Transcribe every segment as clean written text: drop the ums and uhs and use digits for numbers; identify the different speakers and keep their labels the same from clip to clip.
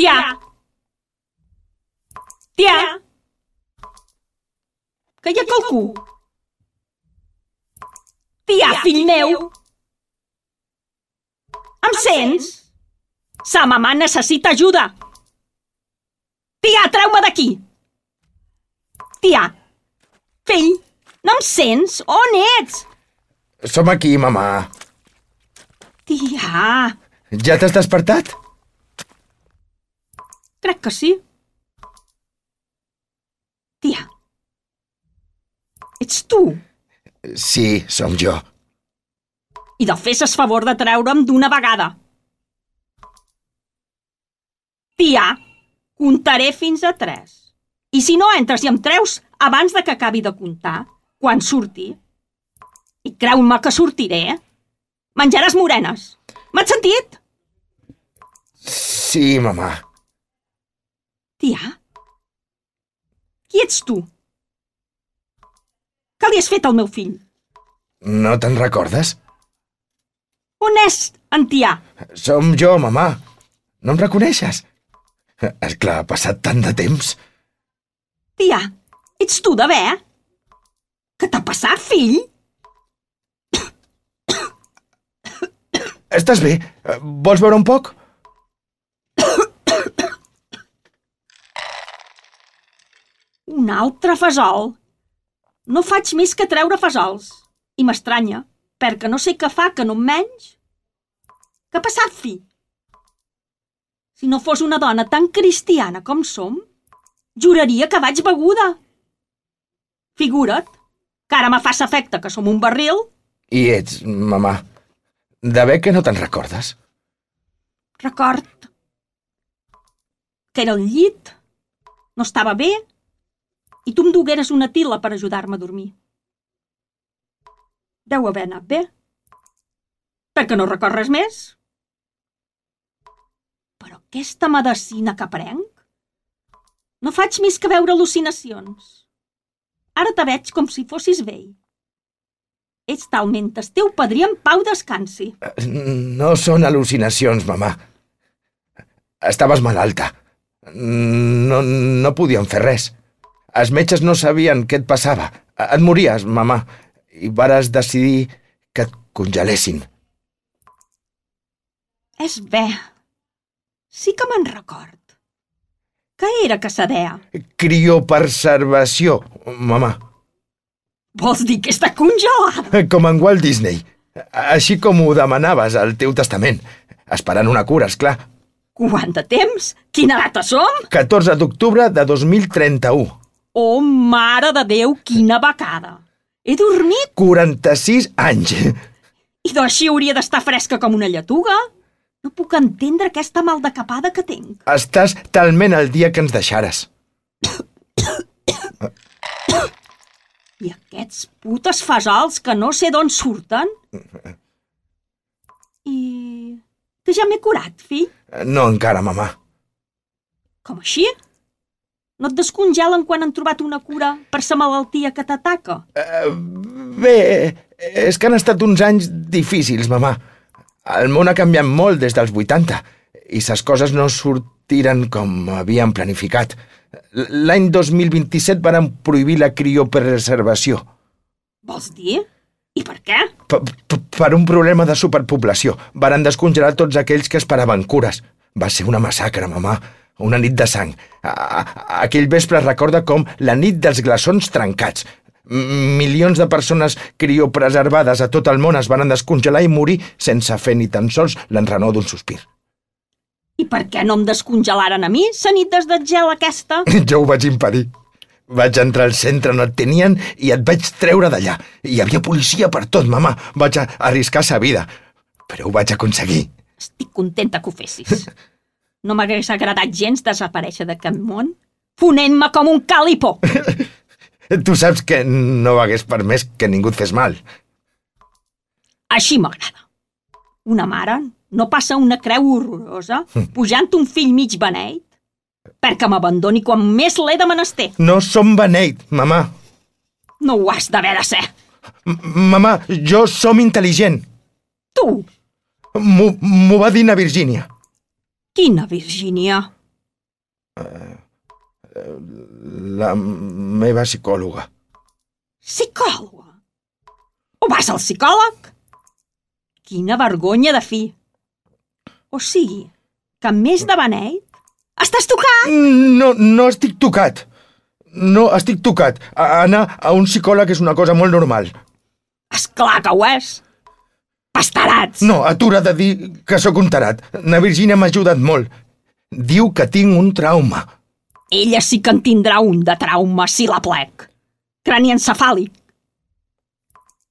Speaker 1: Tia! Tia! Que hi ha qualcú? Tia, fill meu! Em sents? Sa mamà necessita ajuda! Tia, treu-me d'aquí! Tia! Fill, no em sents? On ets?
Speaker 2: Som aquí, mamà.
Speaker 1: Tia!
Speaker 2: Ja t'has despertat?
Speaker 1: Crec que sí. Tia. Ets tu?
Speaker 2: Sí, som jo.
Speaker 1: I de fesses favor de treure'm d'una vegada. Tia, comptaré fins a 3. I si no entres i em treus abans de que acabi de comptar, quan surti, i creu-me que sortiré, menjaràs morenes. M'has sentit?
Speaker 2: Sí, mamà.
Speaker 1: Tia, qui ets tu? Què li has fet al meu fill?
Speaker 2: No te'n recordes?
Speaker 1: On és en Tia?
Speaker 2: Som jo, mamà. No em reconeixes? És clar, ha passat tant de temps.
Speaker 1: Tia, ets tu de bé? Què t'ha passat, fill?
Speaker 2: Estàs bé? Vols beure un poc?
Speaker 1: Un altre fesol. No faig més que treure fesols. I m'estranya, perquè no sé què fa que no em menys. Què ha passat, fill? Si no fos una dona tan cristiana com som, juraria que vaig beguda. Figura't, que ara me fas efecte que som un barril.
Speaker 2: I ets, mamà, de bé que no te'n recordes?
Speaker 1: Record que era al llit, no estava bé, i tu em dugueres una tila per ajudar-me a dormir. Deu haver anat bé. Perquè no record res més. Però aquesta medecina que prenc no faig més que veure al·lucinacions. Ara te veig com si fossis vell. Ets talment el teu padrí en pau descansi.
Speaker 2: No són al·lucinacions, mamà. Estaves malalta. No podíem fer res. Els metges no sabien què et passava. Et mories, mamà, i vares decidir que et congelessin.
Speaker 1: És bé. Sí que me'n record. Què era que se deia?
Speaker 2: Criopreservació, mamà.
Speaker 1: Vols dir que està congelada?
Speaker 2: Com en Walt Disney. Així com ho demanaves al teu testament. Esperant una cura, esclar.
Speaker 1: Quant de temps? Quina data som?
Speaker 2: 14 d'octubre de 2031.
Speaker 1: Oh, mare de Déu, quina becada! He dormit?
Speaker 2: 46 anys.
Speaker 1: I d'així hauria d'estar fresca com una lletuga? No puc entendre aquesta maldecapada que tinc.
Speaker 2: Estàs talment el dia que ens deixares.
Speaker 1: I aquests putes fesols que no sé d'on surten? I... que ja m'he curat, fill?
Speaker 2: No encara, mamà.
Speaker 1: Com així? No et descongelen quan han trobat una cura per sa malaltia que t'ataca?
Speaker 2: Bé, és que han estat uns anys difícils, mamà. El món ha canviat molt des dels 80 i ses coses no sortiren com havíem planificat. L'any 2027 varen prohibir la criopreservació.
Speaker 1: Vols dir? I per què?
Speaker 2: Per un problema de superpoblació. Varen descongelar tots aquells que esperaven cures. Va ser una massacre, mamà. Una nit de sang. Aquell vespre es recorda com la nit dels glaçons trencats. Milions de persones criopreservades a tot el món es van descongelar i morir sense fer ni tan sols l'enrenor d'un sospir.
Speaker 1: I per què no em descongelaren a mi, sa nit des del gel aquesta?
Speaker 2: Jo ho vaig impedir. Vaig entrar al centre on et tenien i et vaig treure d'allà. Hi havia policia per tot, mamà. Vaig arriscar sa vida. Però ho vaig aconseguir.
Speaker 1: Estic contenta que ho fessis. No m'hagués agradat gens desaparèixer d'aquest món, fonent-me com un calipo.
Speaker 2: Tu saps que no hagués permès que ningú et fes mal.
Speaker 1: Així m'agrada. Una mare no passa una creu horrorosa pujant un fill mig beneit perquè m'abandoni quan més l'he de menester.
Speaker 2: No som beneit, mamà.
Speaker 1: No ho has d'haver de ser.
Speaker 2: Mamà, jo som intel·ligent.
Speaker 1: Tu?
Speaker 2: M'ho va dir na Virgínia.
Speaker 1: Quina Virgínia?
Speaker 2: La meva psicòloga.
Speaker 1: Psicòloga? O vas al psicòleg? Quina vergonya de fi. O sigui, que a més de beneit, estàs tocat?
Speaker 2: No estic tocat. No estic tocat. Anar a un psicòleg és una cosa molt normal.
Speaker 1: Esclar que ho és. Pastarats!
Speaker 2: No, atura de dir que sóc un tarat. Na Virgínia m'ha ajudat molt. Diu que tinc un trauma.
Speaker 1: Ella sí que en tindrà un de trauma, si la plec. Craniaencefàlic.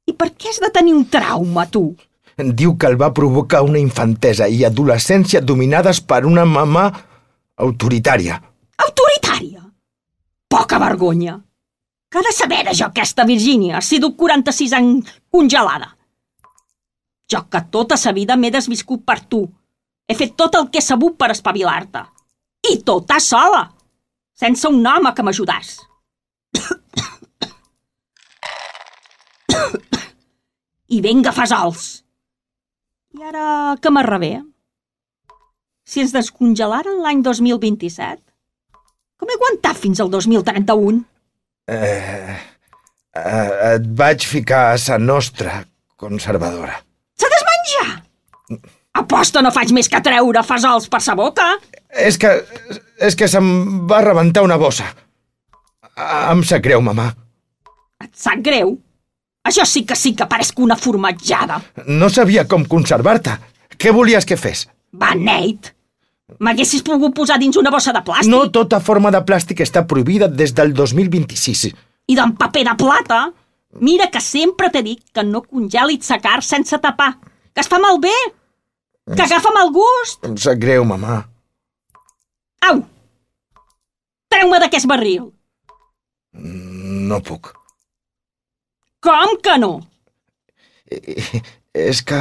Speaker 1: I per què has de tenir un trauma, tu?
Speaker 2: Diu que el va provocar una infantesa i adolescència dominades per una mamà autoritària.
Speaker 1: Autoritària? Poca vergonya. Que ha de saber de jo aquesta Virgínia, si duc 46 anys congelada. Jo que tota sa vida m'he desviscut per tu. He fet tot el que he sabut per espavilar-te. I tota sola, sense un home que m'ajudàs. I venga, fesols! I ara que m'arrebé? Si ens descongelaren l'any 2027, com he aguantat fins al 2031?
Speaker 2: Et vaig ficar a sa nostra conservadora.
Speaker 1: S'ha desmenjar! Aposta no faig més que treure fesols per sa boca.
Speaker 2: És que se'm va rebentar una bossa. Em sap greu, mamà.
Speaker 1: Et sap greu? Això sí que paresc una formatjada.
Speaker 2: No sabia com conservar-te. Què volies que fes?
Speaker 1: Beneit! M'haguessis pogut posar dins una bossa de plàstic.
Speaker 2: No tota forma de plàstic està prohibida des del 2026.
Speaker 1: I d'en paper de plata? Mira que sempre t'he dit que no congelis sa carn sense tapar. Que es fa malbé. Que agafa mal gust.
Speaker 2: Em sap greu, mamà.
Speaker 1: Au! Treu-me d'aquest barril.
Speaker 2: No puc.
Speaker 1: Com que no?
Speaker 2: És que...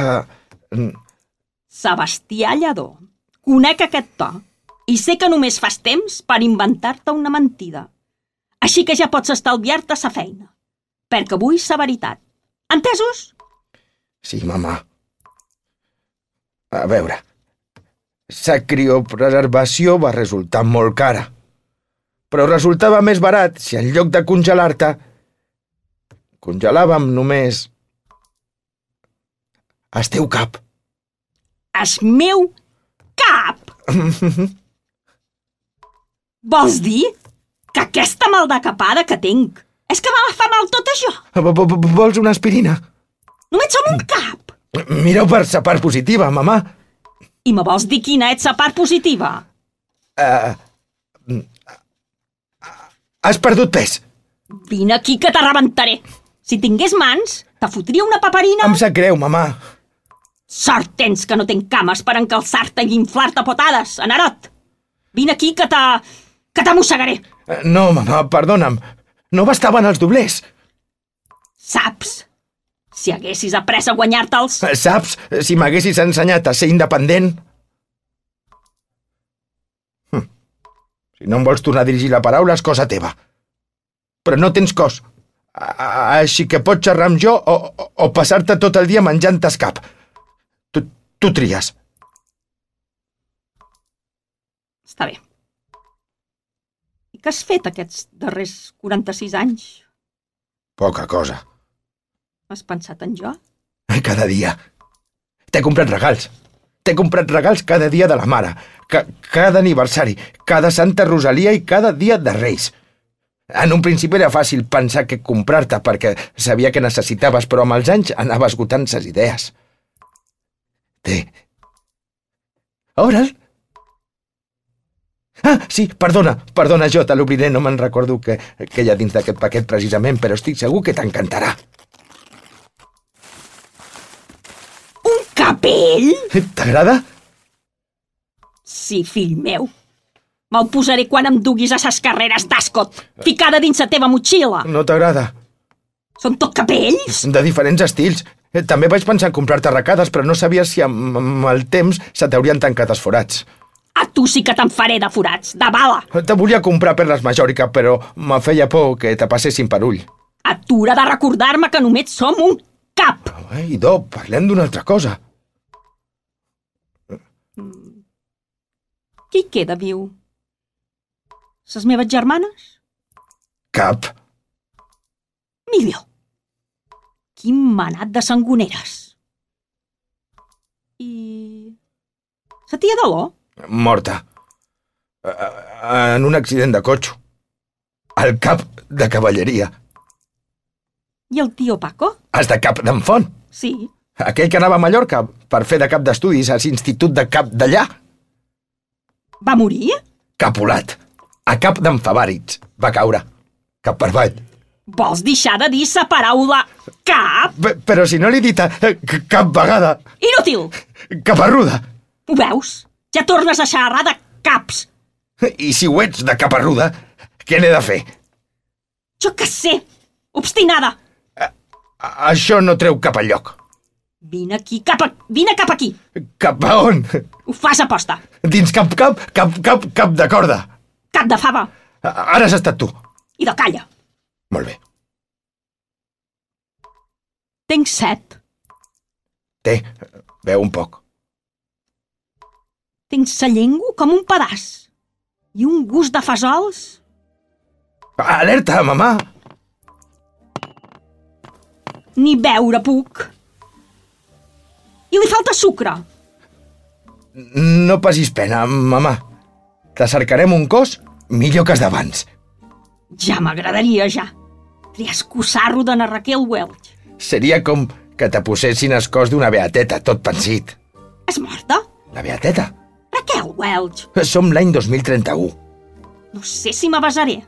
Speaker 1: Sebastià Lledó, conec aquest to i sé que només fas temps per inventar-te una mentida. Així que ja pots estalviar-te sa feina, perquè vull sa veritat. Entesos?
Speaker 2: Sí, mamà. A veure, sa criopreservació va resultar molt cara, però resultava més barat si en lloc de congelar-te congelàvem només el teu cap.
Speaker 1: El meu cap? Vols dir que aquesta mal de capada que tinc és que me fa mal tot això?
Speaker 2: Vols una aspirina?
Speaker 1: Només som un cap.
Speaker 2: Mira-ho per sa part positiva, mamà.
Speaker 1: I me vols dir quina és sa part positiva?
Speaker 2: Has perdut pes.
Speaker 1: Vine aquí que te rebentaré. Si tingués mans, te fotria una paperina.
Speaker 2: Em sap greu, mamà.
Speaker 1: Sort tens que no tenc cames per encalçar-te i inflar-te potades, Anarot. Vine aquí que t'amossegaré.
Speaker 2: No, mamà, perdona'm. No bastaven els doblers.
Speaker 1: Saps? Si haguessis après a guanyar-te'ls...
Speaker 2: Saps? Si m'haguessis ensenyat a ser independent... Si no em vols tornar a dirigir la paraula, és cosa teva. Però no tens cos. Així que pots xerrar amb jo o passar-te tot el dia menjant escap. Tu tries.
Speaker 1: Està bé. I què has fet aquests darrers 46 anys?
Speaker 2: Poca cosa.
Speaker 1: Has pensat en jo?
Speaker 2: Cada dia. T'he comprat regals. T'he comprat regals cada dia de la mare, cada aniversari, cada Santa Rosalia i cada dia de Reis. En un principi era fàcil pensar què comprar-te perquè sabia que necessitaves, però amb els anys anava esgotant ses idees. Ore'l? Ah, sí, perdona, jo te l'obriré, no me'n recordo què hi ha dins d'aquest paquet precisament, però estic segur que t'encantarà.
Speaker 1: Un capell?
Speaker 2: T'agrada?
Speaker 1: Sí, fill meu. Me'l posaré quan em duguis a ses carreres d'Ascot, ficada dins la teva motxilla.
Speaker 2: No t'agrada?
Speaker 1: Són tot capells?
Speaker 2: De diferents estils. També vaig pensar en comprar-te arracades, però no sabia si amb el temps se t'haurien tancat els forats.
Speaker 1: A tu sí que te'n faré de forats, de bala.
Speaker 2: Te volia comprar perles Majòrica, però me feia por que te passessin per ull.
Speaker 1: Atura de recordar-me que només som un cap.
Speaker 2: Idò, parlem d'una altra cosa.
Speaker 1: Qui queda viu? Ses meves germanes?
Speaker 2: Cap.
Speaker 1: Millor. Quin manat de sangoneres. I... sa tia Dolor?
Speaker 2: Morta. En un accident de cotxe. El cap de cavalleria.
Speaker 1: I el tio Paco?
Speaker 2: Has de cap d'en Font.
Speaker 1: Sí.
Speaker 2: Aquell que anava a Mallorca per fer de cap d'estudis a l'institut de cap d'allà.
Speaker 1: Va morir?
Speaker 2: Capolat. A cap d'en Favàrits. Va caure. Cap per avall.
Speaker 1: Vols deixar de dir sa paraula cap?
Speaker 2: Però si no l'he dit cap vegada.
Speaker 1: Inútil!
Speaker 2: Caparruda.
Speaker 1: Ho veus? Ja tornes a xerrar de caps.
Speaker 2: I si ho ets de caparruda, què n'he de fer?
Speaker 1: Jo què sé! Obstinada!
Speaker 2: Això no treu cap enlloc.
Speaker 1: Vine cap aquí!
Speaker 2: Cap a on?
Speaker 1: Ho fas aposta!
Speaker 2: Dins cap de corda.
Speaker 1: Cap de fava!
Speaker 2: Ara has estat tu.
Speaker 1: I de calla!
Speaker 2: Molt bé.
Speaker 1: Tinc set.
Speaker 2: Té, beu un poc.
Speaker 1: Tinc sa llengua com un pedaç. I un gust de fesols.
Speaker 2: Alerta, mamà!
Speaker 1: Ni beure puc. I li falta sucre.
Speaker 2: No passis pena, mamà. Te cercarem un cos millor que els d'abans.
Speaker 1: Ja m'agradaria, ja. Triescossar-lo de na Raquel Welch.
Speaker 2: Seria com que te posessin el cos d'una beateta, tot pensit.
Speaker 1: És morta?
Speaker 2: La beateta?
Speaker 1: Raquel Welch.
Speaker 2: Som l'any 2031.
Speaker 1: No sé si m'avasaré.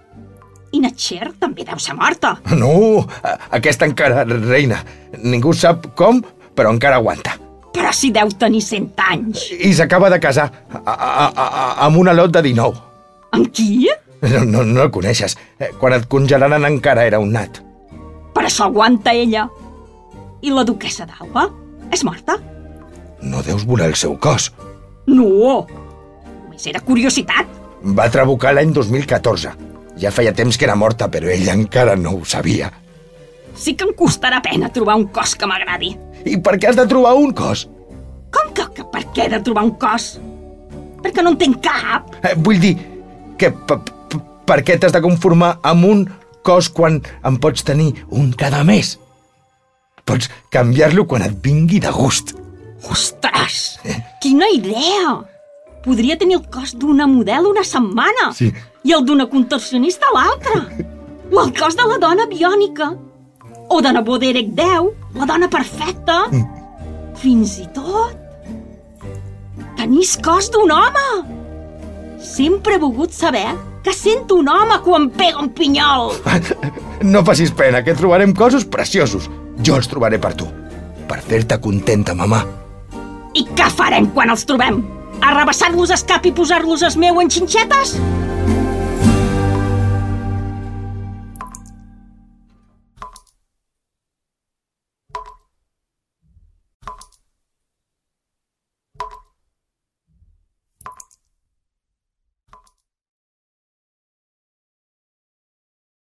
Speaker 1: I na Cher també deu ser morta.
Speaker 2: No, aquesta encara reina. Ningú sap com, però encara aguanta.
Speaker 1: Però si deu tenir 100 anys.
Speaker 2: I s'acaba de casar amb una lot de 19.
Speaker 1: Amb qui?
Speaker 2: No el coneixes. Quan et congelaran encara era un nat.
Speaker 1: Per això aguanta ella. I la duquessa d'Alba? És morta?
Speaker 2: No deus voler el seu cos.
Speaker 1: No. Només era curiositat.
Speaker 2: Va trabucar l'any 2014. Ja feia temps que era morta, però ella encara no ho sabia.
Speaker 1: Sí que em costarà pena trobar un cos que m'agradi.
Speaker 2: I per què has de trobar un cos?
Speaker 1: Com que per què he de trobar un cos? Perquè no en tinc cap.
Speaker 2: Vull dir que per què t'has de conformar amb un cos quan en pots tenir un cada mes? Pots canviar-lo quan et vingui de gust.
Speaker 1: Ostres! Quina idea! Podria tenir el cos d'una model una setmana.
Speaker 2: Sí.
Speaker 1: I el d'una contorsionista l'altra. O el cos de la dona biònica. O de nebó d'Eric X, la dona perfecta. Fins i tot... tenir el cos d'un home. Sempre he volgut saber què sent un home quan pega un pinyol.
Speaker 2: No facis pena, que trobarem cossos preciosos. Jo els trobaré per tu. Per fer-te contenta, mamà.
Speaker 1: I què farem quan els trobem? Arrabassar-los el cap i posar-los el meu en xinxetes?